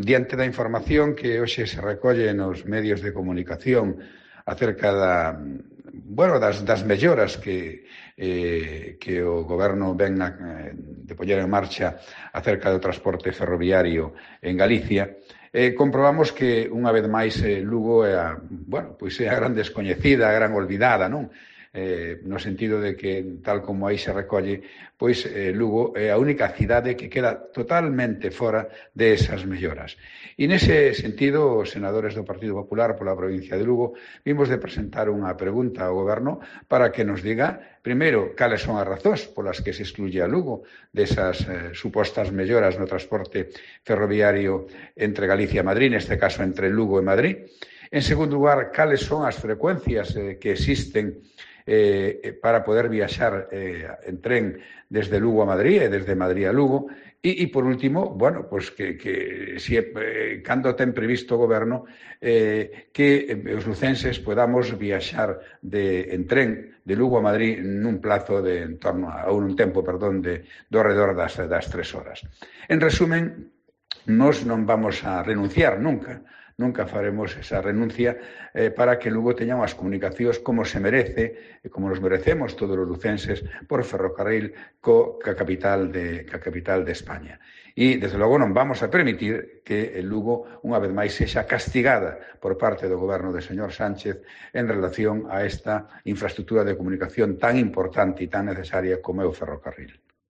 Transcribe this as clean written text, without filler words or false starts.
diante da información que hoxe se recolle nos medios de comunicación acerca das melloras que o Goberno ven de poñer en marcha acerca do transporte ferroviario en Galicia, comprobamos que, unha vez máis, Lugo é a gran descoñecida, a gran olvidada, non? No sentido de que, tal como aí se recolle, pois Lugo é a única cidade que queda totalmente fora de esas melloras. E nese sentido, os senadores do Partido Popular pola provincia de Lugo vimos de presentar unha pregunta ao Goberno para que nos diga, primeiro, cales son as razóns polas que se excluye a Lugo desas supostas melloras no transporte ferroviario entre Galicia e Madrid, neste caso entre Lugo e Madrid. En segundo lugar, cales son as frecuencias que existen para poder viaxar en tren desde Lugo a Madrid e desde Madrid a Lugo. E por último, cando ten previsto o Goberno que os lucenses podamos viaxar en tren de Lugo a Madrid nun plazo de un tempo do redor das 3 horas. En resumen, nós non vamos a renunciar nunca faremos esa renuncia para que Lugo teña unhas comunicacións como se merece e como nos merecemos todos os lucenses por ferrocarril ca capital de España. E, desde logo, non vamos a permitir que Lugo, unha vez máis, sexa castigada por parte do Goberno do señor Sánchez en relación a esta infraestructura de comunicación tan importante e tan necesaria como é o ferrocarril.